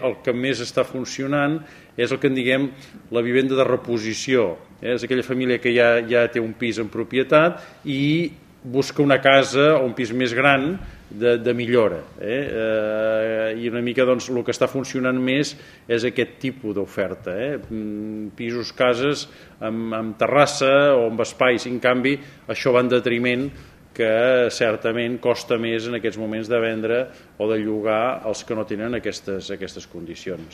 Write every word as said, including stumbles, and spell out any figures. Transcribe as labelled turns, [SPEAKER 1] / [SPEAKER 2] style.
[SPEAKER 1] el que més està funcionant és el que en diguem la vivenda de reposició. Eh? És aquella família que ja, ja té un pis en propietat i busca una casa o un pis més gran de, de millora. Eh? Eh, I una mica doncs, el que està funcionant més és aquest tipus d'oferta. Eh? Pisos, cases amb, amb terrassa o amb espais. En canvi, això va en detriment que certament costa més en aquests moments de vendre o de llogar els que no tenen aquestes, aquestes condicions.